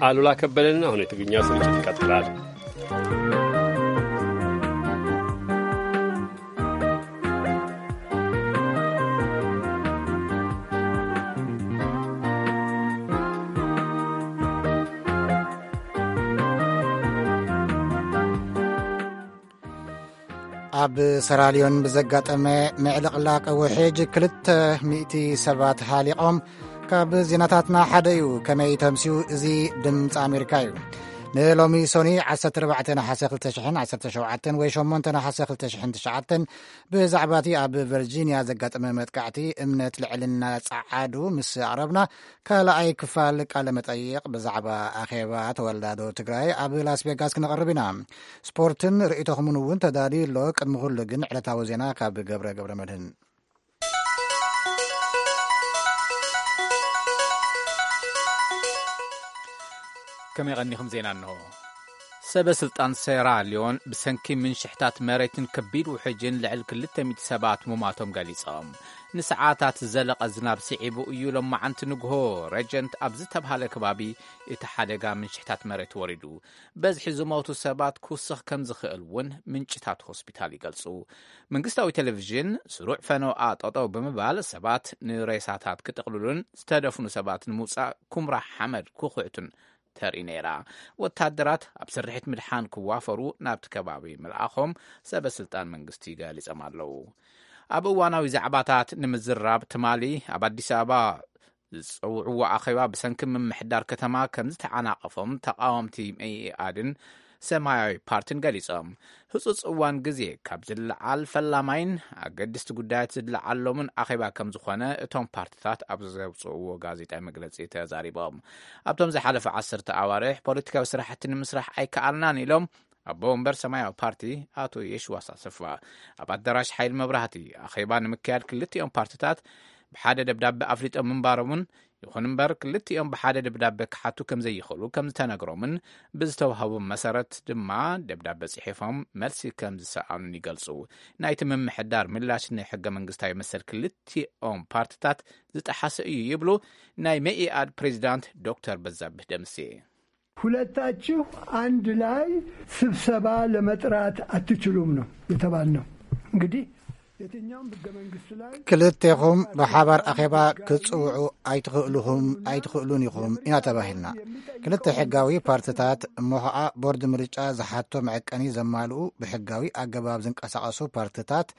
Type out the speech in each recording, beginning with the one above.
አሉላ ከበደን። አሁን የትግርኛ ስርጭት ይቀጥላል። ኣብ ሰራልዮን ብዘጋጠመ ምዕልቕላቕ ውሕጅ ክልተ ሚእቲ ሰባት ሃሊቖም። ካብ ዜናታትና ሓደ እዩ። ከመይ ተምስዩ? እዚ ድምፂ ኣሜሪካ እዩ። ንሎሚ ሶኒ ዓሰርተ ኣርባዕተ ነሓሰ ክልተ ሽሕን ዓሰርተ ሸውዓተን ወይ ሸሞንተ ነሓሰ ክልተ ሽሕን ትሽዓተን ብዛዕባ እቲ ኣብ ቨርጂንያ ዘጋጠመ መጥቃዕቲ እምነት ልዕልና ጸዓዱ ምስ ኣቕረብና፣ ካልኣይ ክፋል ቃለ መጠይቕ ብዛዕባ ኣኼባ ተወላዶ ትግራይ ኣብ ላስ ቬጋስ ክነቕርብ ኢና። ስፖርትን ርእይቶኹምን እውን ተዳልዩ ኣሎ። ቅድሚ ኩሉ ግን ዕለታዊ ዜና ካብ ገብረ ገብረ መድህን። ከመይ ቀኒኹም? ዜና እንሆ። ሰበ ስልጣን ሴራ ሊዮን ብሰንኪ ምንሽሕታት መሬትን ከቢድ ውሕጅን ልዕሊ ክልተ ሚእቲ ሰባት ሙማቶም ገሊጾም። ንሰዓታት ዝዘለቐ ዝናብ ስዒቡ እዩ ሎማዓንቲ ንግሆ ረጀንት ኣብ ዝተብሃለ ከባቢ እቲ ሓደጋ ምንሽሕታት መሬት ወሪዱ። በዝሒ ዝሞቱ ሰባት ክውስኽ ከም ዝኽእል እውን ምንጭታት ሆስፒታል ይገልጹ። መንግስታዊ ቴሌቪዥን ስሩዕ ፈነውኣ ጠጠው ብምባል ሰባት ንሬሳታት ክጥቕልሉን ዝተደፍኑ ሰባት ንምውጻእ ኩምራ ሓመድ ክኹዕቱን ተርኢ ነይራ። ወታደራት ኣብ ስርሒት ምድሓን ክዋፈሩ ናብቲ ከባቢ ምልኣኾም ሰበ ስልጣን መንግስቲ ገሊጾም ኣለዉ። ኣብ እዋናዊ ዛዕባታት ንምዝራብ ትማሊ ኣብ ኣዲስ ኣበባ ዝጸውዕዎ ኣኼባ ብሰንኪ ምምሕዳር ከተማ ከም ዝተዓናቐፎም ተቓወምቲ መኢኣድን ሰማያዊ ፓርቲን ገሊጾም። ህጹጽ እዋን ግዜ ካብ ዝለዓል ፈላማይን ኣገድስቲ ጉዳያት ዝለዓሎምን ኣኼባ ከም ዝኾነ እቶም ፓርቲታት ኣብ ዘውጽእዎ ጋዜጣዊ መግለጺ ተዛሪቦም። ኣብቶም ዝሓለፈ ዓሰርተ ኣዋርሕ ፖለቲካዊ ስራሕቲ ንምስራሕ ኣይከኣልናን ኢሎም ኣቦ ወንበር ሰማያዊ ፓርቲ ኣቶ የሽዋስ ኣሰፋ። ኣብ ኣዳራሽ ሓይሊ መብራህቲ ኣኼባ ንምክያድ ክልቲኦም ፓርቲታት ብሓደ ደብዳቤ ኣፍሊጦም ምንባሮምን፣ ይኹን እምበር ክልቲኦም ብሓደ ደብዳቤ ክሓቱ ከም ዘይኽእሉ ከም ዝተነግሮምን ብዝተዋህቦም መሰረት ድማ ደብዳቤ ጽሒፎም መልሲ ከም ዝሰኣኑን ይገልጹ። ናይቲ ምምሕዳር ምላሽ ንሕገ መንግስታዊ መሰል ክልቲኦም ፓርቲታት ዝጠሓሰ እዩ ይብሉ ናይ መኢኣድ ፕሬዚዳንት ዶክተር በዛብህ ደምሴ። ሁለታችሁ አንድ ላይ ስብሰባ ለመጥራት አትችሉም ነው የተባልነው። እንግዲህ የትኛውም ህገ መንግስት ላይ ክልቴኹም ብሓባር ኣኼባ ክትጽውዑ ኣይትኽእልኹም ኣይትኽእሉን ኢኹም ኢና ተባሂልና። ክልተ ሕጋዊ ፓርትታት እሞ ኸዓ ቦርድ ምርጫ ዝሓቶ መዐቀኒ ዘማልኡ ብሕጋዊ ኣገባብ ዝንቀሳቐሱ ፓርትታት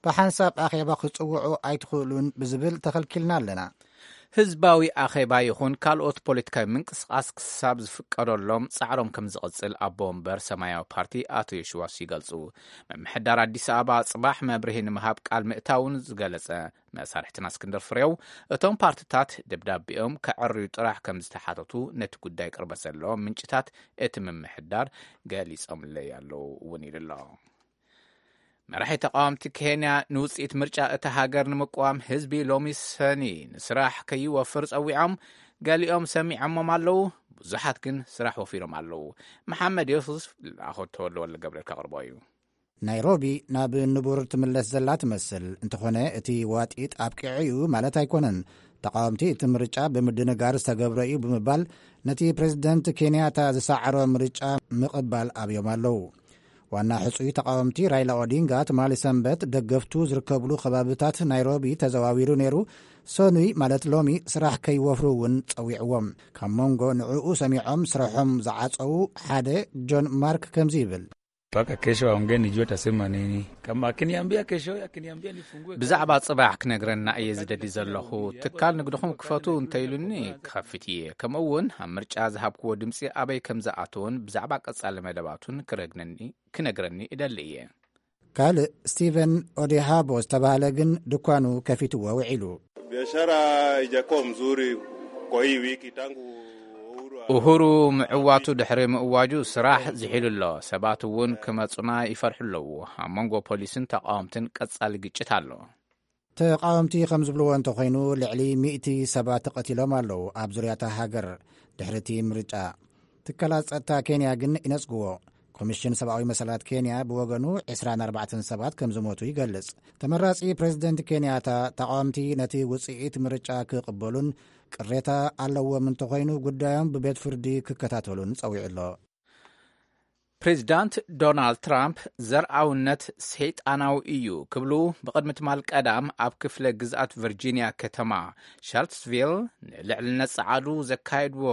ብሓንሳብ ኣኼባ ክትጽውዑ ኣይትኽእሉን ብዝብል ተኸልኪልና ኣለና። ህዝባዊ ኣኼባ ይኹን ካልኦት ፖለቲካዊ ምንቅስቓስ ክሳብ ዝፍቀደሎም ጻዕሮም ከም ዝቕጽል ኣቦ ወንበር ሰማያዊ ፓርቲ ኣቶ የሽዋስ ይገልጹ። ምምሕዳር ኣዲስ ኣበባ ጽባሕ መብርሂ ንምሃብ ቃል ምእታውን ዝገለጸ መሳርሕትና እስክንድር ፍሬው፣ እቶም ፓርትታት ደብዳቤኦም ከዕርዩ ጥራሕ ከም ዝተሓተቱ ነቲ ጉዳይ ቅርበት ዘለዎም ምንጭታት እቲ ምምሕዳር ገሊጾምለይ ኣለዉ እውን ኢሉ ኣሎ። መራሒ ተቃወምቲ ኬንያ ንውጽኢት ምርጫ እታ ሃገር ንምቅዋም ህዝቢ ሎሚ ሰኒ ንስራሕ ከይወፍር ጸዊዖም፣ ገሊኦም ሰሚዖሞም ኣለዉ፣ ብዙሓት ግን ስራሕ ወፊሮም ኣለዉ። መሓመድ ዮሱፍ ልኣኾ ተወልደ ወልደ ገብርኤል ከቕርቦ እዩ። ናይሮቢ ናብ ንቡር ትምለስ ዘላ ትመስል፣ እንተኾነ እቲ ዋጢጥ ኣብቂዑ እዩ ማለት ኣይኮነን። ተቃወምቲ እቲ ምርጫ ብምድንጋር ዝተገብረ እዩ ብምባል ነቲ ፕሬዝደንት ኬንያታ ዝሰዓሮ ምርጫ ምቕባል ኣብዮም ኣለዉ። ዋና ሕጹይ ተቃወምቲ ራይላ ኦዲንጋ ትማሊ ሰንበት ደገፍቱ ዝርከብሉ ከባብታት ናይሮቢ ተዘዋዊሩ ነይሩ። ሰኑይ ማለት ሎሚ ስራሕ ከይወፍሩ እውን ጸዊዕዎም። ካብ መንጎ ንዕኡ ሰሚዖም ስራሖም ዝዓጸዉ ሓደ ጆን ማርክ ከምዚ ይብል። Mpaka kesho aongee nijue atasema nini. Kama akiniambia kesho, akiniambia nifungue ብዛዕባ ጽባሕ ክነግረና እየ ዝደሊ ዘለኹ። ትካል ንግድኹም ክፈቱ እንተኢሉኒ ክኸፍት እየ። ከምኡ እውን ኣብ ምርጫ ዝሃብክዎ ድምፂ ኣበይ ከም ዝኣተውን ብዛዕባ ቀጻሊ መደባቱን ክረግነኒ ክነግረኒ እደሊ እየ። ካልእ ስቲቨን ኦዴሃቦ ዝተባህለ ግን ድኳኑ ከፊትዎ ውዒሉ። Biashara haijakuwa mzuri kwa hii wiki tangu Uhuru a- ኡሁሩ ምዕዋቱ ድሕሪ ምእዋጁ ስራሕ ዝሒሉ ኣሎ። ሰባት እውን ክመጹና ይፈርሑ ኣለዉ። ኣብ መንጎ ፖሊስን ተቃወምትን ቀጻሊ ግጭት ኣሎ። ተቃወምቲ ከም ዝብልዎ እንተኾይኑ ልዕሊ ሚእቲ ሰባት ተቐቲሎም ኣለዉ ኣብ ዙርያታ ሃገር ድሕሪ እቲ ምርጫ። ትካላት ጸጥታ ኬንያ ግን ይነጽግዎ። ኮሚሽን ሰብኣዊ መሰላት ኬንያ ብወገኑ ዕስራን ኣርባዕተን ሰባት ከም ዝሞቱ ይገልጽ። ተመራጺ ፕሬዚደንት ኬንያታ፣ ተቓወምቲ ነቲ ውጽኢት ምርጫ ክቕበሉን ቅሬታ ኣለዎም እንተኾይኑ ጉዳዮም ብቤት ፍርዲ ክከታተሉን ጸዊዑ ኣሎ። ፕሬዚዳንት ዶናልድ ትራምፕ ዘርኣውነት ሰይጣናዊ እዩ ክብሉ ብቕድሚ ትማል ቀዳም ኣብ ክፍለ ግዝኣት ቨርጂኒያ ከተማ ሻርልስቪል ንልዕልነት ጸዓዱ ዘካየድዎ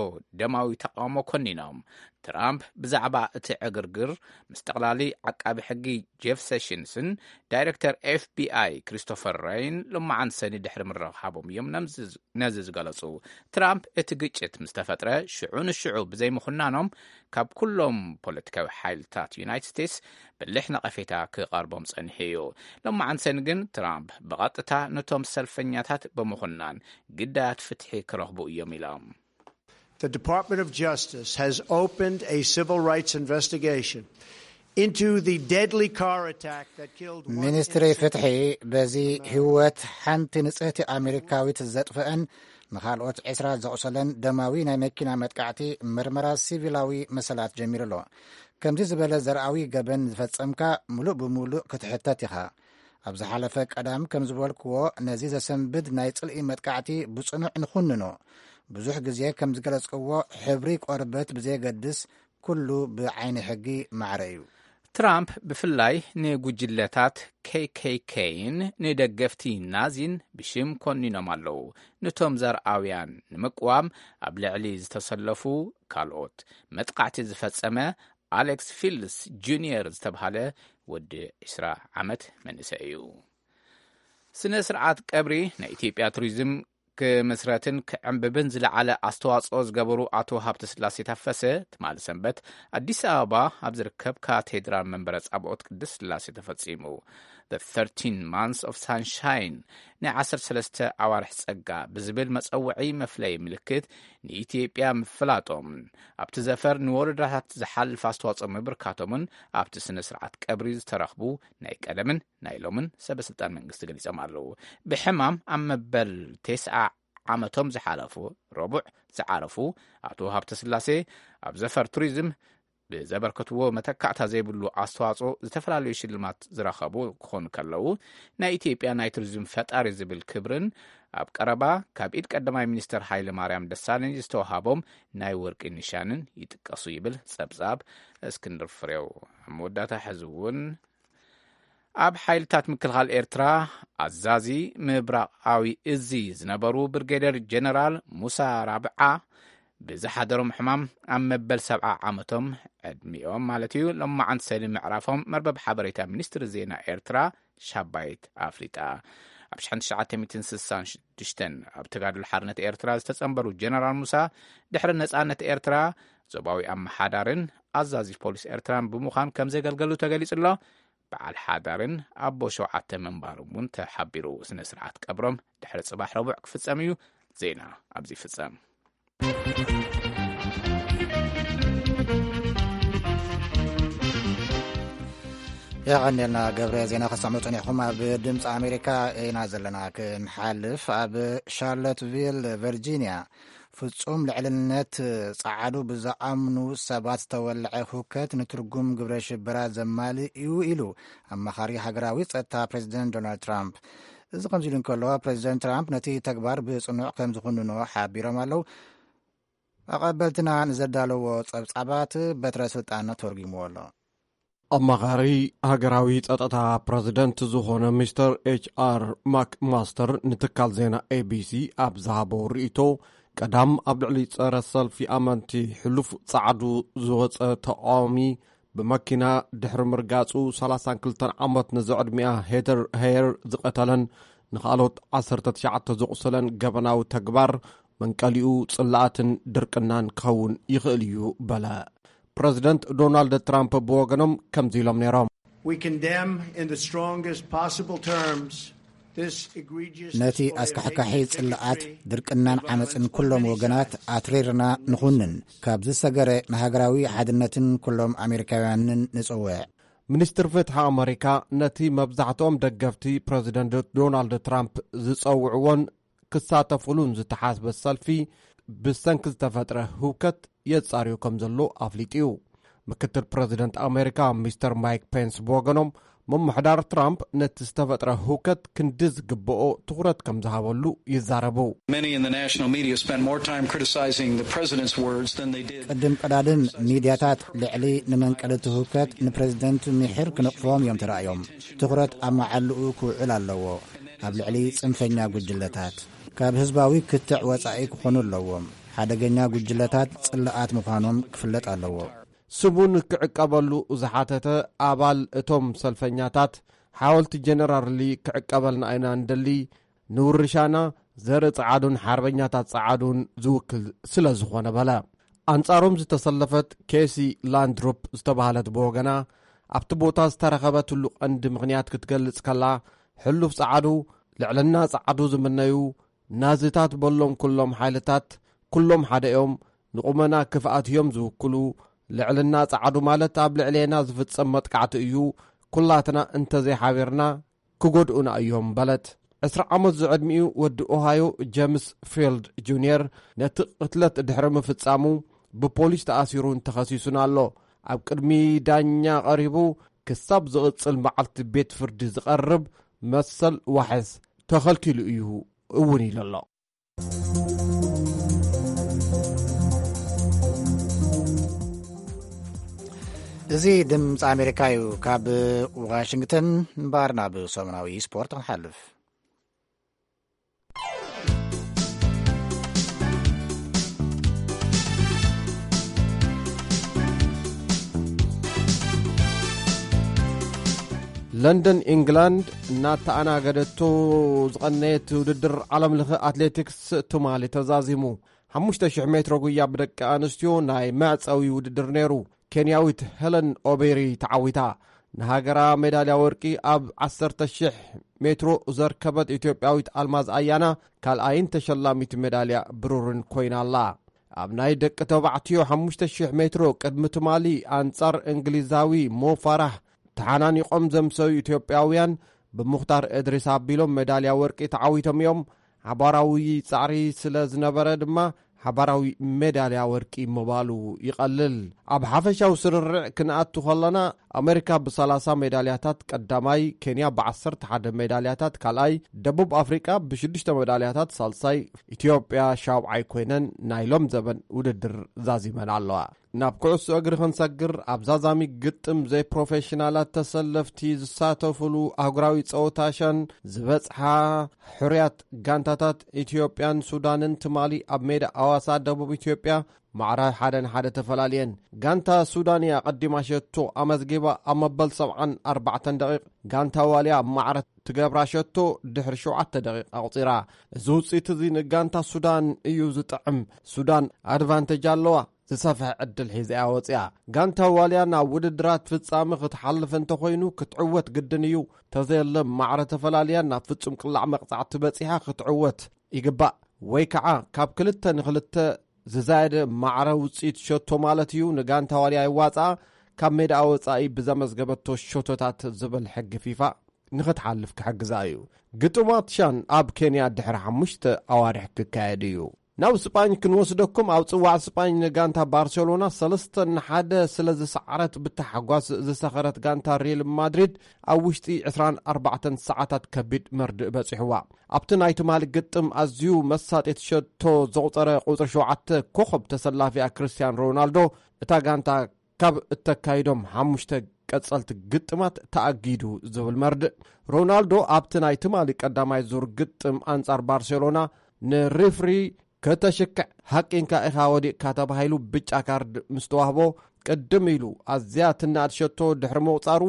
ደማዊ ተቃውሞ ኮኒኖም። ትራምፕ ብዛዕባ እቲ ዕግርግር ምስ ጠቕላሊ ዓቃቢ ሕጊ ጄፍ ሴሽንስን ዳይሬክተር ኤፍቢኣይ ክሪስቶፈር ሬይን ሎማዓንቲ ሰኒ ድሕሪ ምርኻቦም እዮም ነዚ ዝገለጹ። ትራምፕ እቲ ግጭት ምስ ተፈጥረ ሽዑ ንሽዑ ብዘይምኹናኖም ካብ ኩሎም ፖለቲካዊ ሓይልታት ዩናይትድ ስቴትስ ብልሕ ነቐፌታ ክቐርቦም ጸኒሑ እዩ። ሎማዓንቲ ሰኒ ግን ትራምፕ ብቐጥታ ነቶም ሰልፈኛታት ብምኹናን ግዳያት ፍትሒ ክረኽቡ እዮም ኢሎም። The Department of Justice has opened a civil rights investigation into the deadly car attack that killed one ሚኒስትሪ innocent ፍትሒ በዚ ህይወት ሓንቲ ንጽህቲ ኣሜሪካዊት ዘጥፍአን ንኻልኦት ዕስራ ዘቑሰለን ደማዊ ናይ መኪና መጥቃዕቲ ምርመራ ሲቪላዊ መሰላት ጀሚሩ ኣሎ። ከምዚ ዝበለ ዘርኣዊ ገበን ዝፈጸምካ ምሉእ ብምሉእ ክትሕተት ኢኻ። ኣብ ዝሓለፈ ቀዳም ከም ዝበልክዎ ነዚ ዘሰንብድ ናይ ጽልኢ መጥቃዕቲ ብጽኑዕ ንኹንኖ። ብዙሕ ግዜ ከም ዝገለጽክዎ ሕብሪ ቆርበት ብዘየገድስ ኩሉ ብዓይኒ ሕጊ ማዕረ እዩ። ትራምፕ ብፍላይ ንጉጅለታት ኬኬኬይን ንደገፍቲ ናዚን ብሽም ኮኒኖም ኣለዉ። ነቶም ዘርኣውያን ንምቅዋም ኣብ ልዕሊ ዝተሰለፉ ካልኦት መጥቃዕቲ ዝፈጸመ ኣሌክስ ፊልስ ጁኒየር ዝተብሃለ ወዲ ዕስራ ዓመት መንእሰይ እዩ። ስነ ስርዓት ቀብሪ ናይ ኢትዮጵያ ቱሪዝም ክምስረትን ክዕንብብን ዝለዓለ ኣስተዋፅኦ ዝገበሩ ኣቶ ሃብተስላሴ ታፈሰ ትማሊ ሰንበት ኣዲስ ኣበባ ኣብ ዝርከብ ካቴድራል መንበረ ጻብኦት ቅድስት ስላሴ ተፈጺሙ። The thirteen Months of Sunshine፣ ናይ ዓሰርተ ሰለስተ ኣዋርሕ ጸጋ ብዝብል መጸውዒ መፍለይ ምልክት ንኢትዮጵያ ምፍላጦም፣ ኣብቲ ዘፈር ንወረዳታት ዝሓልፍ ኣስተዋጽኦ ምብርካቶምን ኣብቲ ስነ ስርዓት ቀብሪ ዝተረኽቡ ናይ ቀደምን ናይ ሎምን ሰበ ስልጣን መንግስቲ ገሊጾም ኣለዉ። ብሕማም ኣብ መበል ተስዓ ዓመቶም ዝሓለፉ ረቡዕ ዝዓረፉ ኣቶ ሃብተ ስላሴ ኣብ ዘፈር ቱሪዝም ብዘበርከትዎ መተካእታ ዘይብሉ ኣስተዋጽኦ ዝተፈላለዩ ሽልማት ዝረኸቡ ክኾኑ ከለዉ፣ ናይ ኢትዮጵያ ናይ ቱሪዝም ፈጣሪ ዝብል ክብርን ኣብ ቀረባ ካብ ኢድ ቀዳማይ ሚኒስትር ሃይለ ማርያም ደሳለኝ ዝተዋሃቦም ናይ ወርቂ ኒሻንን ይጥቀሱ ይብል ጸብጻብ እስክንድር ፍሬው። ኣብ መወዳእታ ሕዚ እውን ኣብ ሓይልታት ምክልኻል ኤርትራ ኣዛዚ ምብራቓዊ እዚ ዝነበሩ ብርጌደር ጀነራል ሙሳ ራብዓ ብዝሓደሮም ሕማም ኣብ መበል ሰብዓ ዓመቶም ዕድሚኦም ማለት እዩ ሎማዓንቲ ሰኒ ምዕራፎም መርበብ ሓበሬታ ሚኒስትሪ ዜና ኤርትራ ሻባይት ኣፍሊጣ። ኣብ ሽሕን ትሽዓተ ሚእትን ስሳን ሽዱሽተን ኣብ ተጋድሎ ሓርነት ኤርትራ ዝተጸንበሩ ጀነራል ሙሳ ድሕሪ ነጻነት ኤርትራ ዞባዊ ኣመሓዳርን ኣዛዚ ፖሊስ ኤርትራን ብምዃን ከም ዘገልገሉ ተገሊጹ ኣሎ። በዓል ሓዳርን ኣቦ ሸውዓተ ምንባሮም እውን ተሓቢሩ። ስነ ስርዓት ቀብሮም ድሕሪ ጽባሕ ረቡዕ ክፍጸም እዩ። ዜና ኣብዚ ይፍጸም። የቐንየልና ገብረ። ዜና ከሰምዑ ጸኒሕኩም ኣብ ድምፂ ኣሜሪካ ኢና ዘለና። ክንሓልፍ ኣብ ሻርሎትቪል ቨርጂኒያ ፍጹም ልዕልነት ጸዓዱ ብዝኣምኑ ሰባት ዝተወልዐ ሁከት ንትርጉም ግብረ ሽበራ ዘማልእ እዩ ኢሉ ኣማኻሪ ሃገራዊ ጸጥታ ፕሬዚደንት ዶናልድ ትራምፕ። እዚ ከምዚ ኢሉ እንከሎ ፕሬዚደንት ትራምፕ ነቲ ተግባር ብጽኑዕ ከም ዝኹንኖ ሓቢሮም ኣለዉ። ኣቐበልትና ንዘዳለዎ ጸብጻባት በትረ ስልጣን ተርጉምዎ ኣሎ። ኣማኻሪ ሃገራዊ ጸጥታ ፕረዚደንት ዝኾነ ሚስተር ኤች ኣር ማክማስተር ንትካል ዜና ኤቢሲ ኣብ ዝሃቦ ርእይቶ፣ ቀዳም ኣብ ልዕሊ ጸረ ሰልፊ ኣመንቲ ሕሉፍ ጸዓዱ ዝወጸ ተቃዋሚ ብመኪና ድሕሪ ምርጋጹ ሰላሳን ክልተን ዓመት ንዝዕድሚኣ ሄተር ሄየር ዝቐተለን ንኻልኦት ዓሰርተ ትሽዓተ ዘቑሰለን ገበናዊ ተግባር መንቀሊኡ ጽላኣትን ድርቅናን ክኸውን ይኽእል እዩ በለ። ፕረዚደንት ዶናልድ ትራምፕ ብወገኖም ከምዚ ኢሎም ነይሮም። We condemn in the strongest possible terms this egregious ነቲ ኣስካሕካሒ ጽልኣት ድርቅናን ዓመፅን ኩሎም ወገናት ኣትሪርና ንኹንን፣ ካብ ዝሰገረ ንሃገራዊ ሓድነትን ኩሎም ኣሜሪካውያንን ንጽውዕ። ሚኒስትር ፍትሒ ኣመሪካ ነቲ መብዛሕትኦም ደገፍቲ ፕረዚደንት ዶናልድ ትራምፕ ዝጸውዕዎን ክሳተፉሉን ዝተሓስበ ሰልፊ ብሰንኪ ዝተፈጥረ ህውከት የጻርዮ ከም ዘሎ ኣፍሊጡ እዩ። ምክትል ፕረዚደንት ኣሜሪካ ሚስተር ማይክ ፔንስ ብወገኖም፣ ምምሕዳር ትራምፕ ነቲ ዝተፈጥረ ህውከት ክንዲ ዝግብኦ ትኹረት ከም ዝሃበሉ ይዛረቡ። Many in the national media spent more time criticizing the president's words than they did. ቅድም ቀዳድም ሚድያታት ልዕሊ ንመንቀሊ እቲ ህውከት ንፕረዚደንት ምሒር ክነቕፍዎም እዮም ተራእዮም። ትኹረት ኣብ መዓልኡ ክውዕል ኣለዎ። ኣብ ልዕሊ ጽንፈኛ ጉጅለታት ካብ ህዝባዊ ክትዕ ወጻኢ ክኾኑ ኣለዎም። ሓደገኛ ጉጅለታት ጽላኣት ምዃኖም ክፍለጥ ኣለዎ። ስሙን ክዕቀበሉ ዝሓተተ ኣባል እቶም ሰልፈኛታት፣ ሓወልቲ ጀነራል ሊ ክዕቀበልና ኢና እንደሊ፣ ንውርሻና ዘርኢ ጸዓዱን ሓርበኛታት ጸዓዱን ዝውክል ስለ ዝኾነ በለ። ኣንጻሮም ዝተሰለፈት ኬሲ ላንድሩፕ ዝተባህለት ብወገና፣ ኣብቲ ቦታ ዝተረኸበትሉ ቀንዲ ምኽንያት ክትገልጽ ከላ፣ ሕሉፍ ጸዓዱ፣ ልዕልና ጸዓዱ ዝምነዩ ናዚታት በሎም ኩሎም ሓይልታት፣ ኩሎም ሓደ እዮም፣ ንቑመና ክፍኣት እዮም ዝውክሉ። ልዕልና ጸዓዱ ማለት ኣብ ልዕሌና ዝፍጸም መጥቃዕቲ እዩ። ኩላትና እንተዘይሓቢርና ክጎድኡና እዮም በለት። ዕስራ ዓመት ዝዕድሚኡ ወዲ ኦሃዮ ጀምስ ፊልድ ጁንየር ነቲ ቅትለት ድሕሪ ምፍጻሙ ብፖሊስ ተኣሲሩን ተኸሲሱን ኣሎ። ኣብ ቅድሚ ዳኛ ቀሪቡ ክሳብ ዝቕጽል መዓልቲ ቤት ፍርዲ ዝቐርብ መሰል ዋሕስ ተኸልኪሉ እዩ እውን ኢሉ ኣሎ። እዚ ድምፂ ኣሜሪካ እዩ። ካብ ዋሽንግተን እምበኣር ናብ ሰሙናዊ ስፖርት ክንሓልፍ። ለንደን ኢንግላንድ እናተኣናገደቶ ዝቐነየት ውድድር ዓለም ለኸ ኣትሌቲክስ ትማሊ ተዛዚሙ። ሓሙሽተ ሽሕ ሜትሮ ጉያ ብደቂ ኣንስትዮ ናይ መዕጸዊ ውድድር ነይሩ። ኬንያዊት ሄለን ኦቤሪ ተዓዊታ። ንሃገራ ሜዳልያ ወርቂ ኣብ ዓሰርተ ሽሕ ሜትሮ ዘርከበት ኢትዮጵያዊት ኣልማዝ ኣያና ካልኣይን ተሸላሚት ሜዳልያ ብሩርን ኮይና ኣላ። ኣብ ናይ ደቂ ተባዕትዮ ሓሙሽተ ሽሕ ሜትሮ ቅድሚ ትማሊ ኣንጻር እንግሊዛዊ ሞ ፋራህ ተሓናኒቖም ዘምሰዩ ኢትዮጵያውያን ብሙኽታር እድሪስ ኣቢሎም ሜዳልያ ወርቂ ተዓዊቶም እዮም። ሓባራዊ ጻዕሪ ስለ ዝነበረ ድማ ሓባራዊ ሜዳልያ ወርቂ ምባሉ ይቐልል። ኣብ ሓፈሻዊ ስርርዕ ክንኣቱ ከለና፣ ኣሜሪካ ብሰላሳ ሜዳልያታት ቀዳማይ፣ ኬንያ ብዓሰርተ ሓደ ሜዳልያታት ካልኣይ፣ ደቡብ ኣፍሪቃ ብሽዱሽተ ሜዳልያታት ሳልሳይ፣ ኢትዮጵያ ሻውዓይ ኮይነን ናይ ሎም ዘበን ውድድር ዛዚመን ኣለዋ። ናብ ኩዕሶ እግሪ ክንሰግር፣ ኣብ ዛዛሚ ግጥም ዘይፕሮፌሽናላት ተሰለፍቲ ዝሳተፉሉ ኣህጉራዊ ጸወታ ሻን ዝበጽሓ ሕሩያት ጋንታታት ኢትዮጵያን ሱዳንን ትማሊ ኣብ ሜዳ ኣዋሳ ደቡብ ኢትዮጵያ ማዕረ ሓደ ንሓደ ተፈላልየን። ጋንታ ሱዳን እያ ቀዲማ ሸቶ ኣመዝጊባ ኣብ መበል ሰብዓን ኣርባዕተን ደቂቕ፣ ጋንታ ዋልያ ማዕረ ትገብራ ሸቶ ድሕሪ ሸውዓተ ደቂቕ ኣቑጺራ። እዚ ውጽኢት እዚ ንጋንታ ሱዳን እዩ ዝጥዕም። ሱዳን ኣድቫንቴጅ ኣለዋ። ዝሰፍሐ ዕድል ሒዛ እያ ወፂኣ። ጋንታ ዋልያ ናብ ውድድራት ፍጻመ ክትሓልፍ እንተኾይኑ ክትዕወት ግድን እዩ። ተዘየለ ማዕረ ተፈላልያ ናብ ፍጹም ቅላዕ መቕጻዕቲ በጺሓ ክትዕወት ይግባእ። ወይ ከዓ ካብ ክልተ ንክልተ ዝዛየደ ማዕረ ውፅኢት ሸቶ ማለት እዩ። ንጋንታ ዋልያ ይዋፅኣ። ካብ ሜዳኣ ወፃኢ ብዘመዝገበቶ ሸቶታት ዝብል ሕጊ ፊፋ ንክትሓልፍ ክሕግዛ እዩ። ግጥማት ሻን ኣብ ኬንያ ድሕሪ ሓሙሽተ ኣዋርሕ ክካየድ እዩ። ናብ ስጳኝ ክንወስደኩም። ኣብ ጽዋዕ ስጳኝ ንጋንታ ባርሴሎና ሰለስተ ንሓደ ስለ ዝሰዓረት ብታሕጓስ ዝሰኸረት ጋንታ ሪል ማድሪድ ኣብ ውሽጢ ዕስራን ኣርባዕተን ሰዓታት ከቢድ መርድእ በጺሕዋ። ኣብቲ ናይ ትማሊ ግጥም ኣዝዩ መሳጢት ሸቶ ዘቑጸረ ቁጽሪ ሸውዓተ ኮኸብ ተሰላፊኣ ክርስቲያን ሮናልዶ እታ ጋንታ ካብ እተካይዶም ሓሙሽተ ቀጸልቲ ግጥማት ተኣጊዱ ዝብል መርድእ። ሮናልዶ ኣብቲ ናይ ትማሊ ቀዳማይ ዙር ግጥም ኣንጻር ባርሴሎና ንሪፍሪ ከተሽክዕ ሃቂንካ ኢኻ ወዲቕካ ተባሂሉ ብጫ ካርድ ምስ ተዋህቦ ቅድም ኢሉ ኣዝያ ትናድ ሸቶ ድሕሪ ምቑጻሩ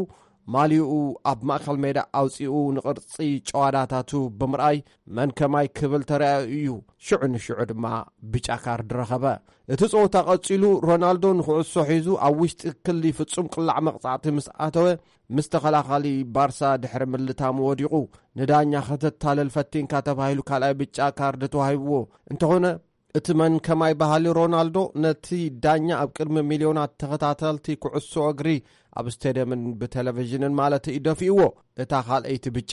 ማልይኡ ኣብ ማእከል ሜዳ ኣውጺኡ ንቕርጺ ጨዋዳታቱ ብምርኣይ መን ከማይ ክብል ተራእዩ እዩ። ሽዑ ንሽዑ ድማ ብጫ ካርድ ረኸበ። እቲ ጸወታ ቀጺሉ ሮናልዶ ንኩዕሶ ሒዙ ኣብ ውሽጢ ክሊ ፍጹም ቅላዕ መቕጻዕቲ ምስ ኣተወ ምስ ተኸላኻሊ ባርሳ ድሕሪ ምልታሙ ወዲቑ። ንዳኛ ከተታልል ፈቲንካ ተባሂሉ ካልኣይ ብጫ ካርድ ተዋሂብዎ። እንተኾነ እቲ መን ከማይ በሃሊ ሮናልዶ ነቲ ዳኛ ኣብ ቅድሚ ሚልዮናት ተኸታተልቲ ኩዕሶ እግሪ ኣብ ስቴድየምን ብቴሌቪዥንን ማለት እዩ ደፊእዎ። እታ ካልኣይቲ ብጫ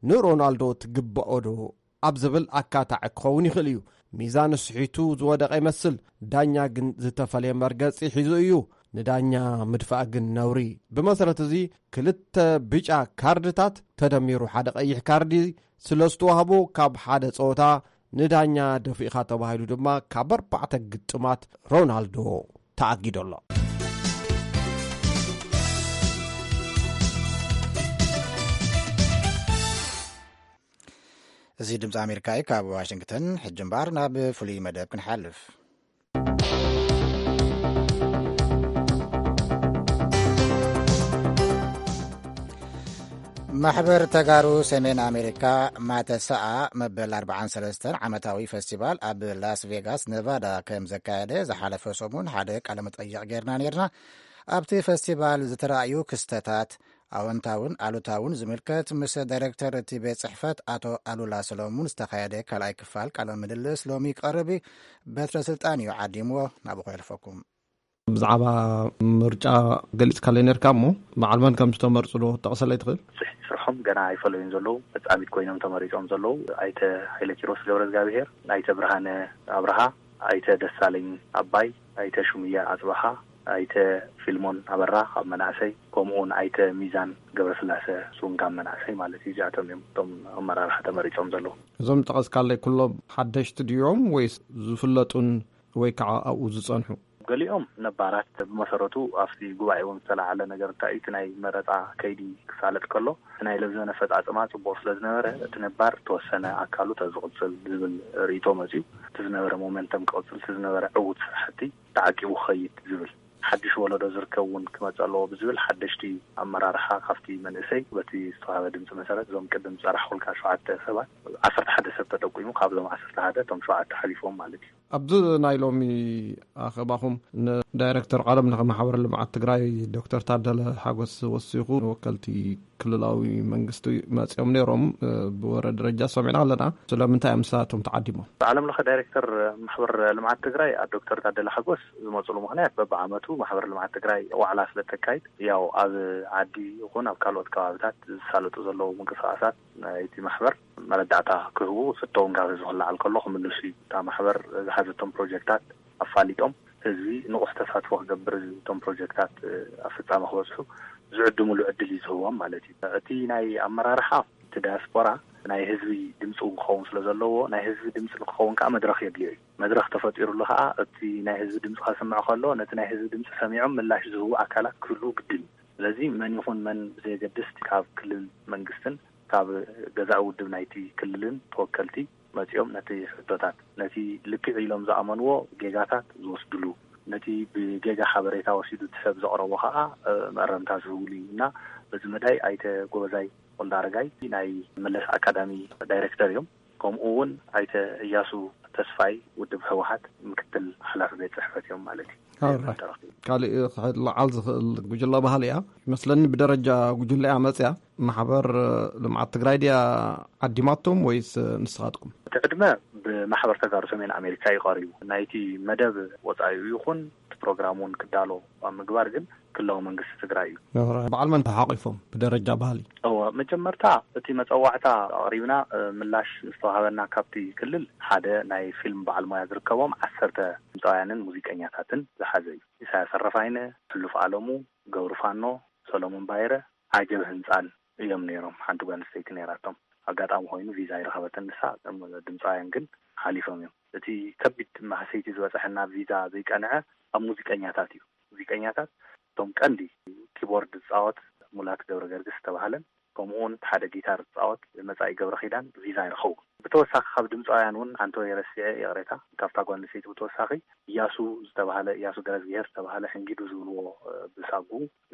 ንሮናልዶ ትግብኦ ዶ ኣብ ዝብል ኣካታዒ ክኸውን ይኽእል እዩ። ሚዛን ስሒቱ ዝወደቐ ይመስል። ዳኛ ግን ዝተፈለየ መርገጺ ሒዙ እዩ። ንዳኛ ምድፋእ ግን ነውሪ። ብመሰረት እዚ ክልተ ብጫ ካርድታት ተደሚሩ ሓደ ቀይሕ ካርዲ ስለ ዝተዋህቦ ካብ ሓደ ጸወታ ንዳኛ ደፊእኻ ተባሂሉ ድማ ካብ ኣርባዕተ ግጥማት ሮናልዶ ተኣጊዱ ኣሎ። እዚ ድምፂ ኣሜሪካ እዩ። ካብ ዋሽንግተን ሕጂ እምበኣር ናብ ፍሉይ መደብ ክንሓልፍ። ማሕበር ተጋሩ ሰሜን ኣሜሪካ ማተሰኣ መበል ኣርባዓን ሰለስተን ዓመታዊ ፈስቲቫል ኣብ ላስ ቬጋስ ነቫዳ ከም ዘካየደ ዝሓለፈ ሰሙን ሓደ ቃለ መጠይቕ ጌርና ኔርና። ኣብቲ ፈስቲቫል ዝተራእዩ ክስተታት ኣወንታውን ኣሉታውን ዝምልከት ምስ ዳይሬክተር እቲ ቤት ጽሕፈት ኣቶ ኣሉላ ሰሎሙን ዝተኻየደ ካልኣይ ክፋል ቃለ ምልልስ ሎሚ ይቀርብ እዩ። በትረ ስልጣን እዩ ዓዲምዎ፣ ናብኡ ከሕልፈኩም። ብዛዕባ ምርጫ ገሊጽካለይ ነርካ እሞ፣ በዓል መን ከም ዝተመርጹ ዶ ክትጠቕሰለይ ትኽእል? ጽሕቲ ስርሖም ገና ኣይፈለዩን ዘለዉ፣ ፈጻሚት ኮይኖም ተመሪጾም ዘለዉ ኣይተ ሃይለ ኪሮስ ገብረ እግዚኣብሔር፣ ኣይተ ብርሃነ ኣብርሃ፣ ኣይተ ደሳለኝ ኣባይ፣ ኣይተ ሹምያ ኣጽብሃ፣ ኣይተ ፊልሞን ኣበራ ካብ መናእሰይ፣ ከምኡውን ኣይተ ሚዛን ገብረስላሰ ሱንጋ መናእሰይ ማለት እዩ። እዚኣቶም እዮም እቶም ኣመራርሓ ተመሪጾም ዘለዉ። እዞም ጠቐስካለይ ኩሎም ሓደሽቲ ድዮም ወይስ ዝፍለጡን ወይ ከዓ ኣብኡ ዝጸንሑ? ገሊኦም ነባራት ብመሰረቱ ኣብቲ ጉባኤ እውን ዝተለዓለ ነገር እንታይ እዩ? እቲ ናይ መረጻ ከይዲ ክሳለጥ ከሎ እቲ ናይ ለብዘን ኣፈጻጽማ ጽቡቕ ስለ ዝነበረ እቲ ነባር ተወሰነ ኣካሉ ተዝቕጽል ዝብል ርእይቶ መጺኡ። እቲ ዝነበረ ሞመንተም ክቕጽል፣ እቲ ዝነበረ ዕዉት ስራሕቲ ተዓቂቡ ክኸይድ ዝብል ሓድሽ ወለዶ ዝርከብ እውን ክመጽእ ኣለዎ ብዝብል ሓደሽቲ ኣመራርሓ ካብቲ መንእሰይ በቲ ዝተዋህበ ድምፂ መሰረት እዞም ቅድም ዝፀራሕኩልካ ሸውዓተ ሰባት ዓሰርተ ሓደ ሰብ ተጠቂሙ ካብዞም ዓሰርተ ሓደ እቶም ሸውዓተ ሓሊፎም ማለት እዩ። ኣብዚ ናይ ሎሚ ኣኸባኹም ንዳይሬክተር ዓለም ለኸ ማሕበር ልምዓት ትግራይ ዶክተር ታደለ ሓጎስ ወሲኹ ወከልቲ ክልላዊ መንግስቲ መፂኦም ነይሮም። ብወረ ደረጃ ሰሚዕና ኣለና። ስለምንታይ እዮም ንሳቶም ተዓዲሞም? ዓለም ለኸ ዳይሬክተር ማሕበር ልምዓት ትግራይ ዶክተር ታደለ ሓጎስ ዝመፅሉ ምኽንያት በብዓመቱ ማሕበር ልምዓት ትግራይ ዋዕላ ስለ ተካይድ ያው ኣብ ዓዲ ይኹን ኣብ ካልኦት ከባብታት ዝሳለጡ ዘለዉ ምንቅስቃሳት ናይቲ ማሕበር መረዳእታ ክህቡ ፍተውን ካብ ህዝቢ ክለዓል ከሎ ክምልሱ እዩ። እታ ማሕበር ዝሓዘቶም ፕሮጀክታት ኣፋሊጦም ህዝቢ ንቑሕ ተሳትፎ ክገብር እቶም ፕሮጀክታት ኣብ ፍጻመ ክበፅሑ ዝዕድምሉ ዕድል እዩ ዝህቦም ማለት እዩ። እቲ ናይ ኣመራርሓ እቲ ዳያስፖራ ናይ ህዝቢ ድምፂ እውን ክኸውን ስለ ዘለዎ ናይ ህዝቢ ድምፂ ንክኸውን ከዓ መድረኽ የድልዮ እዩ። መድረኽ ተፈጢሩሉ ከዓ እቲ ናይ ህዝቢ ድምፂ ከስምዕ ከሎ ነቲ ናይ ህዝቢ ድምፂ ሰሚዖም ምላሽ ዝህቡ ኣካላት ክህልዉ ግድን እዩ። ስለዚ መን ይኹን መን ብዘየገድስ ካብ ክልል መንግስትን ካብ ገዛኢ ውድብ ናይቲ ክልልን ተወከልቲ መፂኦም ነቲ ሕቶታት ነቲ ልክዕ ኢሎም ዝኣመንዎ ጌጋታት ዝወስድሉ ነቲ ብጌጋ ሓበሬታ ወሲዱ እቲ ሰብ ዘቕረቦ ከዓ መእረምታ ዝህብሉ እዩ እና በዚ መዳይ ኣይተ ጎበዛይ ወልደ ኣረጋይ ናይ መለስ ኣካዳሚ ዳይሬክተር እዮም። ከምኡ እውን ኣይተ እያሱ ተስፋይ ውድብ ህወሓት ምክትል ሓላፊ ቤት ፅሕፈት እዮም ማለት እዩ። ካልእ ክልዓል ዝኽእል ጉጅለ ባህሊ እያ ይመስለኒ። ብደረጃ ጉጅለ እያ መፅያ። ማሕበር ልምዓት ትግራይ ድያ ዓዲማቶም ወይስ ንስኻትኩም? እቲ ዕድመ ብማሕበር ተጋሩ ሰሜን ኣሜሪካ እዩ ቀሪቡ። ናይቲ መደብ ወፃኢ ይኹን እቲ ፕሮግራም እውን ክዳሎ ኣብ ምግባር ግን ክልላዊ መንግስቲ ትግራይ እዩ። በዓል መን ተሓቂፎም ብደረጃ ባህሊ? እወ፣ መጀመርታ እቲ መፀዋዕታ ኣቕሪብና ምላሽ ዝተዋሃበና ካብቲ ክልል ሓደ ናይ ፊልም በዓል ሞያ ዝርከቦም ዓሰርተ ድምፃውያንን ሙዚቀኛታትን ዝሓዘ እዩ። ኢሳያስ ኣረፋይነ፣ ሕሉፍ ኣለሙ፣ ገብሩ ፋኖ፣ ሰሎሞን ባይረ፣ ዓጀብ ህንፃን እዮም ነይሮም። ሓንቲ ጓል ኣንስተይቲ ነይራቶም። ኣጋጣሚ ኮይኑ ቪዛ ኣይረኸበትን ንሳ። እቶም ድምፃውያን ግን ሓሊፎም እዮም። እቲ ከቢድ ማህሰይቲ ዝበፀሐና ቪዛ ዘይቀንዐ ኣብ ሙዚቀኛታት እዩ። ሙዚቀኛታት እቶም ቀንዲ ኪቦርድ ዝፃወት ሙላት ገብረ ገርግስ ዝተባህለን ከምኡ እውን እቲ ሓደ ጊታር ዝፃወት መፃኢ ገብረ ኪዳን ቪዛ ኣይረኸቡ። ብተወሳኺ ካብ ድምፃውያን እውን ኣንቶኒ ረሲዐ ይቕሬታ ካብታ ጓል ኣንስተይቲ ብተወሳኺ እያሱ ዝተባህለ እያሱ ገረዝግሄር ዝተባህለ ሕንጊዱ ዝብልዎ ብሳጉ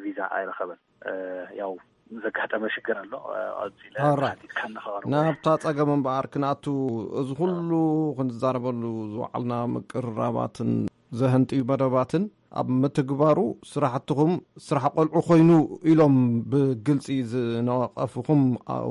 ቪዛ ኣይረኸበን። ያው ዘጋጠመ ሽግር ኣሎ። ኣውፂለ ሓቲትካ እናኸበሩ ናብታ ፀገም እምበኣር ክንኣቱ እዚ ኩሉ ክንዛረበሉ ዝወዓልና ምቅርራባትን ዘህንጥዩ መደባትን ኣብ ምትግባሩ ስራሕትኹም ስራሕ ቆልዑ ኮይኑ ኢሎም ብግልፂ ዝነቐፉኹም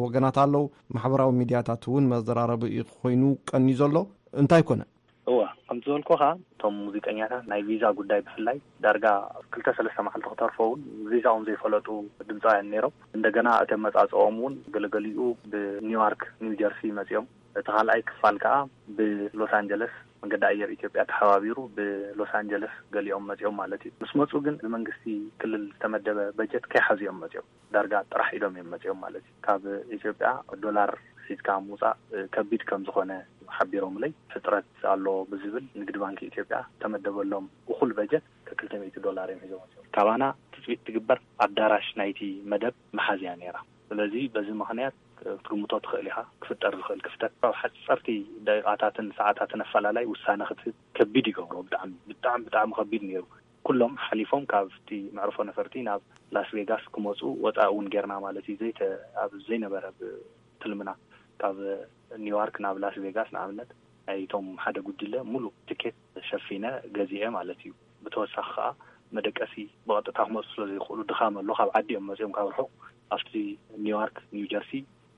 ወገናት ኣለዉ። ማሕበራዊ ሚድያታት እውን መዘራረቢ ኮይኑ ቀንዩ ዘሎ እንታይ ኮነ? እወ፣ ከምቲ ዝበልኩኻ እቶም ሙዚቀኛታት ናይ ቪዛ ጉዳይ ብፍላይ ዳርጋ ክልተ ሰለስተ መዓልቲ ክተርፎ እውን ቪዛኦም ዘይፈለጡ ድምፃውያን ነይሮም። እንደገና እቲ ኣመፃፅኦም እውን ገለገሊኡ ብኒውዮርክ ኒው ጀርሲ መፂኦም እቲ ካልኣይ ክፋል ከዓ ብሎስ ኣንጀለስ መንገዲ ኣየር ኢትዮጵያ ተሓባቢሩ ብሎስ ኣንጀለስ ገሊኦም መፂኦም ማለት እዩ። ምስ መፁ ግን ብመንግስቲ ክልል ዝተመደበ በጀት ከይሓዙ እዮም መፂኦም። ዳርጋ ጥራሕ ኢዶም እዮም መፂኦም ማለት እዩ። ካብ ኢትዮጵያ ዶላር ሒዝካ ምውፃእ ከቢድ ከም ዝኾነ ሓቢሮምለይ። ሕፅረት ኣሎ ብዝብል ንግዲ ባንኪ ኢትዮጵያ ተመደበሎም እኹል በጀት ከክልተ ሚእቲ ዶላር እዮም ሒዞም መፂኦም። ካባና ትፅቢት ትግበር ኣዳራሽ ናይቲ መደብ መሓዝያ ነይራ። ስለዚ በዚ ምኽንያት ክትግምቶ ትኽእል ኢኻ። ክፍጠር ዝኽእል ክፍተት ካብ ሓፀርቲ ደቂቓታትን ሰዓታትን ኣፈላላይ ውሳነ ክትህብ ከቢድ ይገብሮ። ብጣዕሚ ብጣዕሚ ብጣዕሚ ከቢድ ነይሩ። ኩሎም ሓሊፎም ካብቲ መዕርፎ ነፈርቲ ናብ ላስ ቬጋስ ክመፁ ወፃኢ እውን ጌርና ማለት እዩ። ዘይተ ኣብ ዘይነበረ ትልምና ካብ ኒውዮርክ ናብ ላስ ቬጋስ ንኣብነት ናይቶም ሓደ ጉጅለ ሙሉእ ትኬት ሸፊነ ገዚኤ ማለት እዩ። ብተወሳኺ ከዓ መደቀሲ ብቐጥታ ክመፁ ስለ ዘይኽእሉ ድኻም ኣሎ። ካብ ዓዲ እዮም መፂኦም ካብ ርሑቕ ኣብቲ ኒውዮርክ ኒው ጀርሲ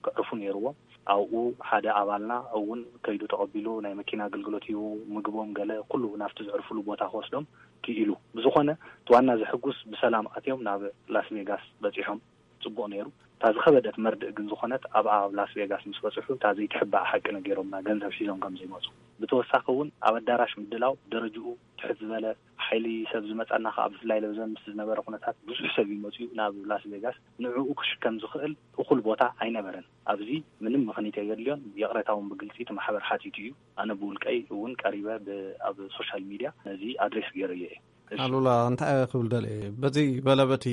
ከዕርፉ ነይርዎም። ኣብኡ ሓደ ኣባልና እውን ከይዱ ተቐቢሉ ናይ መኪና ኣገልግሎት ሂቡ ምግቦም ገለ ኩሉ ናብቲ ዘዕርፍሉ ቦታ ክወስዶም ክኢሉ። ብዝኾነ እቲ ዋና ዘሕጉስ ብሰላም ኣትዮም ናብ ላስ ቬጋስ በፂሖም። ፅቡቕ ነይሩ። እታ ዝኸበደት መርድእ ግን ዝኾነት ኣብኣ ኣብ ላስ ቬጋስ ምስ በፅሑ እታ ዘይትሕባእ ሓቂ ነጊሮምና ገንዘብ ሒዞም ከም ዘይመፁ። ብተወሳኺ እውን ኣብ ኣዳራሽ ምድላው ደረጅኡ ትሕት ዝበለ ሓይሊ ሰብ ዝመፀና ከዓ ብፍላይ ለብዘን ምስ ዝነበረ ኩነታት ብዙሕ ሰብ እዩ መፅኡ ናብ ላስ ቬጋስ። ንዕኡ ክሽከም ዝኽእል እኹል ቦታ ኣይነበረን። ኣብዚ ምንም ምኽኒት የድልዮን ይቕሬታ እውን ብግልፂ እቲ ማሕበር ሓቲቱ እዩ። ኣነ ብውልቀይ እውን ቀሪበ ብ- ኣብ ሶሻል ሚድያ ነዚ ኣድሬስ ገይረዮ እየ። እሺ። ኣሉላ እንታይ ክብል ደለ በዚ በለበቲ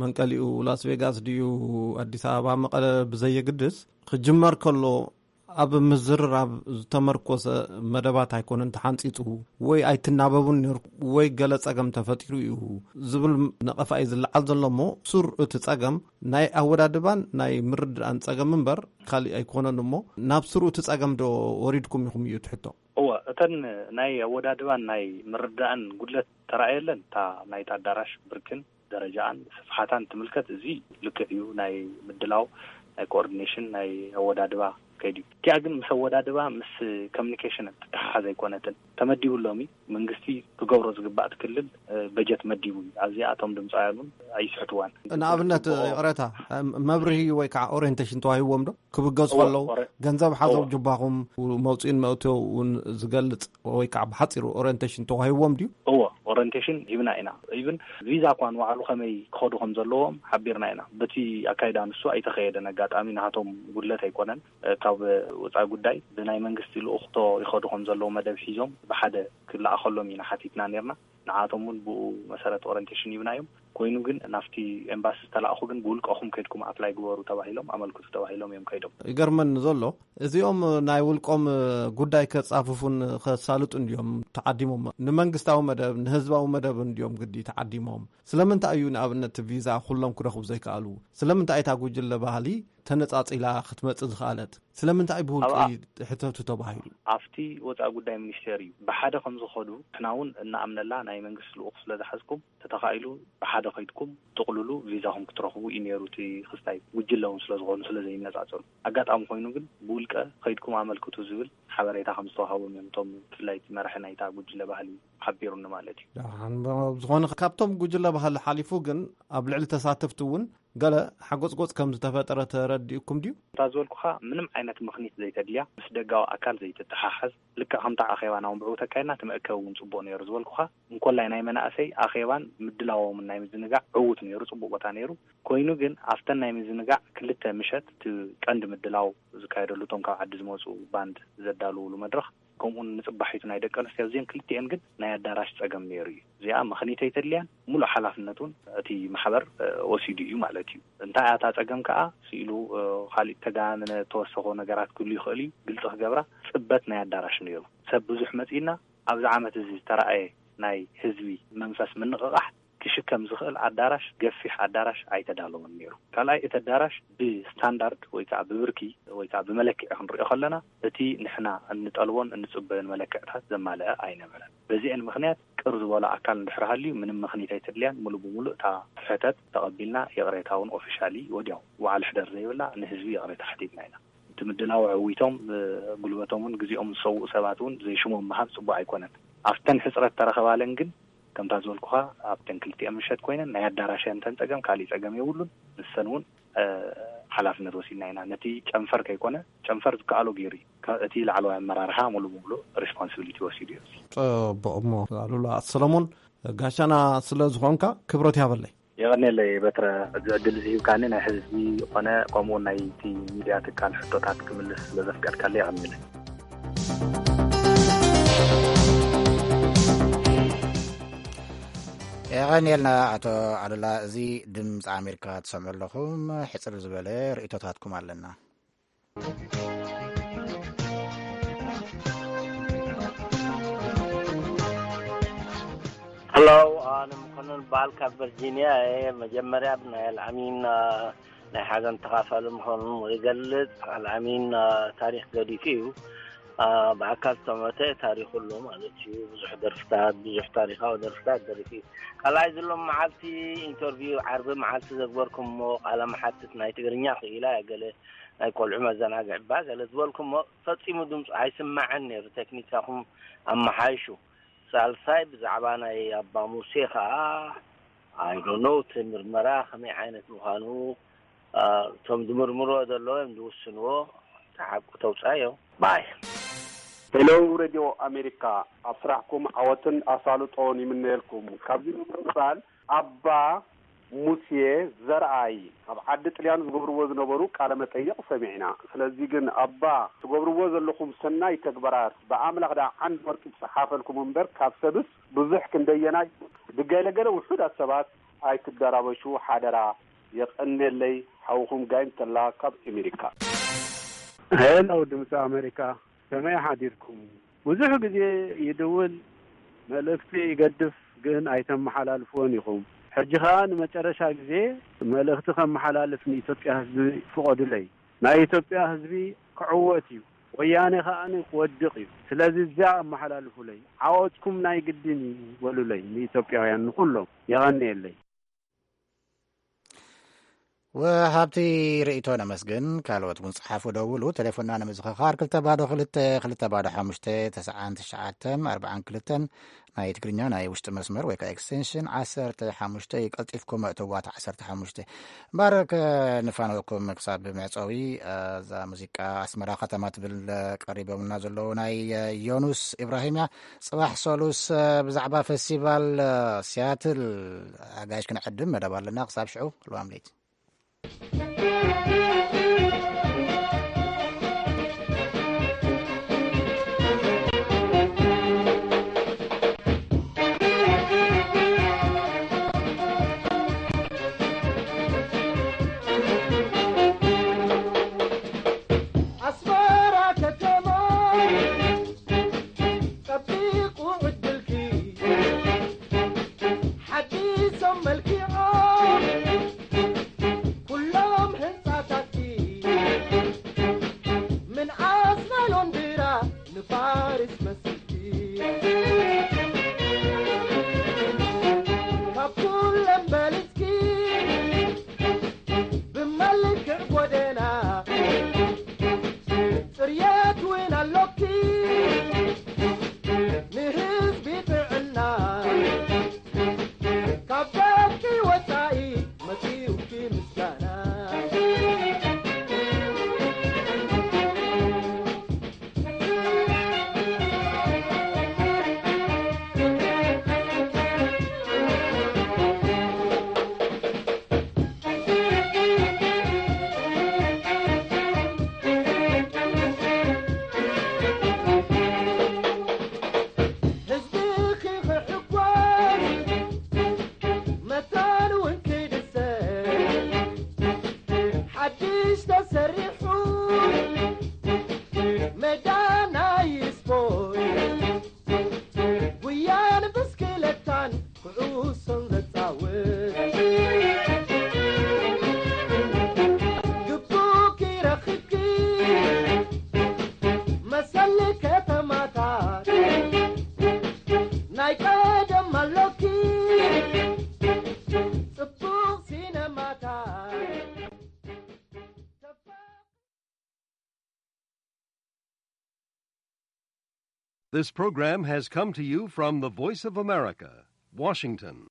መንቀሊኡ ላስ ቬጋስ ድዩ ኣዲስ ኣበባ መቐለ ብዘየግድስ ክጅመር ከሎ ኣብ ምዝርራብ ዝተመርኮሰ መደባት ኣይኮነን ተሓንፂፁ ወይ ኣይትናበቡን ነርኩ ወይ ገለ ፀገም ተፈጢሩ እዩ ዝብል ነቐፋ እዩ ዝለዓል ዘሎ እሞ ሱር እቲ ፀገም ናይ ኣወዳድባን ናይ ምርድኣን ፀገም እምበር ካሊእ ኣይኮነን እሞ ናብ ስሩ እቲ ፀገም ዶ ወሪድኩም ኢኹም እዩ ትሕቶ? እወ እተን ናይ ኣወዳድባን ናይ ምርዳእን ጉድለት ተራእየለን እታ ናይቲ ኣዳራሽ ብርክን ደረጃኣን ስፍሓታን ትምልከት። እዚ ልክዕ እዩ። ናይ ምድላው ናይ ኮኦርዲኔሽን ናይ ኣወዳድባ ከይድ እዩ። እቲኣ ግን ምስ ኣወዳድባ ምስ ኮሚኒኬሽን ትተሓሓዝ ኣይኮነትን። ተመዲቡ ሎሚ መንግስቲ ክገብሮ ዝግባእ ክልል በጀት መዲቡ እዩ። ኣብዚኣ እቶም ድምፃውያን እውን ኣይስሕትዋን። ንኣብነት ይቅረታ መብርሂ ወይ ከዓ ኦሪንቴሽን ተዋሂዎም ዶ ክብገሱ ከለዉ ገንዘብ ሓዘው ጅባኹም መውፅኢን መእተውን ዝገልፅ ወይ ከዓ ብሓፂሩ ኦሪንቴሽን ተዋሂዎም ድዩ? እዎ ኦሪንቴሽን ሂብና ኢና። ኢብን ቪዛ እኳ ንባዕሉ ከመይ ክኸዱ ከም ዘለዎም ሓቢርና ኢና። በቲ ኣካይዳ ንሱ ኣይተኸየደን። ኣጋጣሚ ናሃቶም ጉድለት ኣይኮነን። ካብ ወፃኢ ጉዳይ ብናይ መንግስቲ ልኡኽቶ ይኸዱ ከም ዘለዉ መደብ ሒዞም ብሓደ ክለኣኸሎም ኢና ሓቲትና ነርና። ንዓቶም እውን ብኡ መሰረት ኦሪንቴሽን ሂብናዮም። ኮይኑ ግን ናብቲ ኤምባሲ ዝተላእኹ ግን ብውልቀኹም ከድኩም ኣፕላይ ግበሩ ተባሂሎም ኣመልክቱ ተባሂሎም እዮም ከይዶም። ይገርመኒ ዘሎ እዚኦም ናይ ውልቆም ጉዳይ ከፃፍፉን ከሳልጡ እንዲዮም ተዓዲሞም። ንመንግስታዊ መደብ ንህዝባዊ መደብ እንዲዮም ግዲ ተዓዲሞም። ስለምንታይ እዩ ንኣብነት ቪዛ ኩሎም ክረኽቡ ዘይከኣሉ? ስለምንታይ እታ ጉጅለ ባህሊ ተነፃፂላ ክትመፅእ ዝኸኣለት? ስለምንታይ ብውልቂ ሕተቱ ተባሂሉ? ኣብቲ ወፃኢ ጉዳይ ሚኒስቴር እዩ ብሓደ ከም ዝኸዱ ንሕና እውን እናኣምነላ ናይ መንግስቲ ልኡኽ ስለ ዝሓዝኩም ተተኻኢሉ ብሓደ ከይድኩም ጥቕልሉ ቪዛኹም ክትረኽቡ እዩ ነይሩ። እቲ ክስታይ ጉጅለ እውን ስለ ዝኾኑ ስለ ዘይነፃፀሉ ኣጋጣሚ ኮይኑ ግን ብውልቀ ከይድኩም ኣመልክቱ ዝብል ሓበሬታ ከም ዝተዋሃቦም እዮም እቶም ብፍላይ እቲ መራሒ ናይታ ጉጅለ ባህሊ ሓቢሩኒ ማለት እዩ። ዝኾነ ካብቶም ጉጅለ ባህሊ ሓሊፉ ግን ኣብ ልዕሊ ተሳተፍቲ እውን ገለ ሓጎፅጎፅ ከም ዝተፈጠረ ተረዲእኩም ድዩ? እታ ዝበልኩኻ ምንም ዓይነት ምኽኒት ዘይተድልያ ምስ ደጋዊ ኣካል ዘይትተሓሓዝ ልክዕ ከምታ ኣኼባ ናውን ብዕው ተካይድና እቲ መእከቢ እውን ፅቡቕ ነይሩ ዝበልኩኻ እንኮላይ ናይ መናእሰይ ኣኼባን ምድላዎምን ናይ ምዝንጋዕ ዕዉት ነይሩ፣ ፅቡቕ ቦታ ነይሩ። ኮይኑ ግን ኣብተን ናይ ምዝንጋዕ ክልተ ምሸት እቲ ቀንዲ ምድላው ዝካየደሉ እቶም ካብ ዓዲ ዝመፁ ባንድ ዘዳልውሉ መድረኽ ከምኡን ንፅባሒቱ ናይ ደቂ ኣንስትዮ ኣብዚአን ክልቲአን ግን ናይ ኣዳራሽ ፀገም ነይሩ እዩ። እዚኣ ምኽኒት ኣይተድልያን ሙሉእ ሓላፍነት እውን እቲ ማሕበር ወሲዱ እዩ ማለት እዩ። እንታይ እያ እታ ፀገም ከዓ ስኢሉ ካሊእ ተጋነነ ተወሰኾ ነገራት ክህሉ ይኽእል እዩ። ግልፂ ክገብራ ፅበት ናይ ኣዳራሽ ነይሩ። ሰብ ብዙሕ መፂና ኣብዚ ዓመት እዚ ዝተረኣየ ናይ ህዝቢ መንፈስ ምንቕቓሕ ክሽከም ዝኽእል ኣዳራሽ ገፊሕ ኣዳራሽ ኣይተዳለወን ነይሩ። ካልኣይ እቲ ኣዳራሽ ብስታንዳርድ ወይ ከዓ ብብርኪ ወይ ከዓ ብመለክዒ ክንሪኦ ከለና እቲ ንሕና እንጠልቦን እንፅበዮን መለክዕታት ዘማልአ ኣይነበረን። በዚአን ምኽንያት ቅር ዝበሎ ኣካል እንድሕር ሃልዩ ምንም ምኽኒት ኣይተድልያን ሙሉእ ብሙሉእ እታ ሕተት ተቐቢልና ይቕሬታ እውን ኦፊሻሊ ወዲያው ዋዕል ሕደር ዘይብላ ንህዝቢ ይቕሬታ ሓቲትና ኢና። እቲ ምድላው ዕዊቶም ጉልበቶም እውን ግዜኦም ዝሰውኡ ሰባት እውን ዘይሽሞም ምሃብ ፅቡቅ ኣይኮነን። ኣብተን ሕፅረት ተረኸባለን ግን ከምታ ዝበልኩኻ ኣብተን ክልቲኤን ምሸት ኮይነን ናይ ኣዳራሽ እየን ተን ፀገም ካሊእ ፀገም የብሉን። ንሰን እውን ሓላፍነት ወሲድና ኢና። ነቲ ጨንፈር ከይኮነ፣ ጨንፈር ዝከኣሎ ገይሩ እዩ። ከ-፣ እቲ ላዕለዋይ ኣመራርሓ ሙሉ ብሙሉ ሪስፖንሲቢሊቲ ወሲዱ እዩ። ጽቡቕ። እሞ ኣሉላ ሰለሞን፣ ጋሻና ስለ ዝኾንካ ክብረት ያበለይ። የቐንየለይ በትረ፣ እዚ ዕድል እዚ ሂብካኒ፣ ናይ ህዝቢ ዝኾነ ከምኡ እውን ናይቲ ሚድያ ትካል ሕቶታት ክምልስ ስለ ዘፍቀድካለይ የቐንየለይ። የቐንየልና ኣቶ ኣሉላ። እዚ ድምፂ ኣሜሪካ ትሰምዑ ኣለኹም። ሕፅር ዝበለ ርእይቶታትኩም ኣለና። ሄሎ፣ ኣነ መኮንን በዓል ካብ ቨርጂኒያ እየ። መጀመርያ ናይ ኣልኣሚን፣ አ፣ ናይ ሓዘን ተኻፋሊ ምዃኑ ይገልጽ። ኣልኣሚን፣ አ፣ ታሪኽ ገዲፉ እዩ። አ፣ ብኣካል ዝተመተ ታሪኹ ኣሎ ማለት እዩ። ብዙሕ ደርፍታት፣ ብዙሕ ታሪኻዊ ደርፍታት ደሪፉ እዩ። ካልኣይ፣ ዘሎ መዓልቲ ኢንተርቪው ዓርቢ መዓልቲ ዘግበርኩሞ ቃለ መሓትት ናይ ትግርኛ ክኢላ እያ። ገለ ናይ ቆልዑ መዘናግዒ እባ ገለ ዝበልኩሞ ፈጺሙ ድምፁ ኣይስማዕን ነይሩ። ቴክኒካኹም ኣመሓይሹ። ሳልሳይ፣ ብዛዕባ ናይ ኣባ ሙሴ ኸዓ፣ I don't know፣ እቲ ምርመራ ከመይ ዓይነት ምዃኑ፣ አ፣ እቶም ዝምርምርዎ ዘለዉ እዮም ዝውስንዎ። እቲ ሓቁ ተውጻዮ። ባይ። ሄሎ ሬድዮ ኣሜሪካ፣ ኣብ ስራሕኩም ዓወትን ኣሳልጦን ይምነየልኩም። ካብዚ ብምቕጻል፣ ኣባ ሙሴ ዘርኣይ ኣብ ዓዲ ጥልያን ዝገብርዎ ዝነበሩ ቃለ መጠይቕ ሰሚዕና። ስለዚ ግን ኣባ፣ ትገብርዎ ዘለኹም ሰናይ ተግባራት ብኣምላኽ ደኣ ዓንዲ ወርቂ ትጸሓፈልኩም እምበር ካብ ሰብስ ብዙሕ ክንደየናይ ብገለገለ ውሑዳት ሰባት ኣይትደራበሹ ሓደራ። የቐንየለይ፣ ሓውኹም ጋይም ተላ ካብ ኣሜሪካ። ሄሎ ድምፂ ኣሜሪካ፣ ከመይ ሓዲርኩም? ብዙሕ ግዜ ይድውል፣ መልእኽቲ ይገድፍ፣ ግን ኣይተመሓላልፍዎን ኢኹም። ሕጂ ኸኣ ንመጨረሻ ግዜ መልእኽቲ ከመሓላልፍ ንኢትዮጵያ ህዝቢ ፍቐዱለይ። ናይ ኢትዮጵያ ህዝቢ ክዕወት እዩ፣ ወያኔ ኸኣ ክወድቕ እዩ። ስለዚ እዚኣ ኣመሓላልፉለይ፣ ዓወትኩም ናይ ግድን እዩ በሉለይ፣ ንኢትዮጵያውያን ንኹሎም። የቐንየለይ። ወሃብቲ ርእይቶ ነመስግን። ካልኦት እውን ጸሓፉ፣ ደውሉ። ቴሌፎንና ንምዝኽኻር ክልተ ባዶ ክልተ ክልተ ባዶ ሓሙሽተ ተስዓን ትሽዓተን ኣርባዓን ክልተን፣ ናይ ትግርኛ ናይ ውሽጢ መስመር ወይ ከዓ ኤክስቴንሽን ዓሰርተ ሓሙሽተ እዩ። ቀልጢፍኩም እእትዋ፣ ዓሰርተ ሓሙሽተ። እምበር ከንፋነወኩም ክሳብ መዕጸዊ፣ እዛ ሙዚቃ ኣስመራ ከተማ ትብል ቀሪቦምና ዘለዉ ናይ ዮኑስ ኢብራሂም እያ። ጽባሕ ሰሉስ፣ እ፣ ብዛዕባ ፈስቲቫል፣ እ፣ ሲያትል ኣጋይሽ ክንዕድም መደብ ኣለና። ክሳብ ሽዑ ልዋም ለይቲ። ኣስመራ ከተማ ጸቢቑ ዕድልኪ፣ ሓዲሶም መልኪዖም ኩሎም ህንጻታትኪ። ምንኣስ ናይ ሎንድራ ንፋሪስ መስልኪ፣ ካብ ኩለን በሊጽኪ ብመልክዕ ጎደና ጽርየት እውን ኣሎኪ፣ ንህዝቢ ጥዕና ካብ ደቂ ወጻኢ መጺኡኪ ምስጋና። ህዝብኺ ክሕጎስ መታን እውን ክድሰት፣ ሓድሽ ተሰሪሑ ሜዳ ናይ ስፖርት፣ ጉያን ብስክለታን ኩዕሶን ዘጻውት፣ ግቡእኪ ረኺብኪ መሰል ከተማታት፣ ናይ ቀደም ኣሎኪ ጽቡቕ ሲነማታት። This program has come to you from the Voice of America, Washington.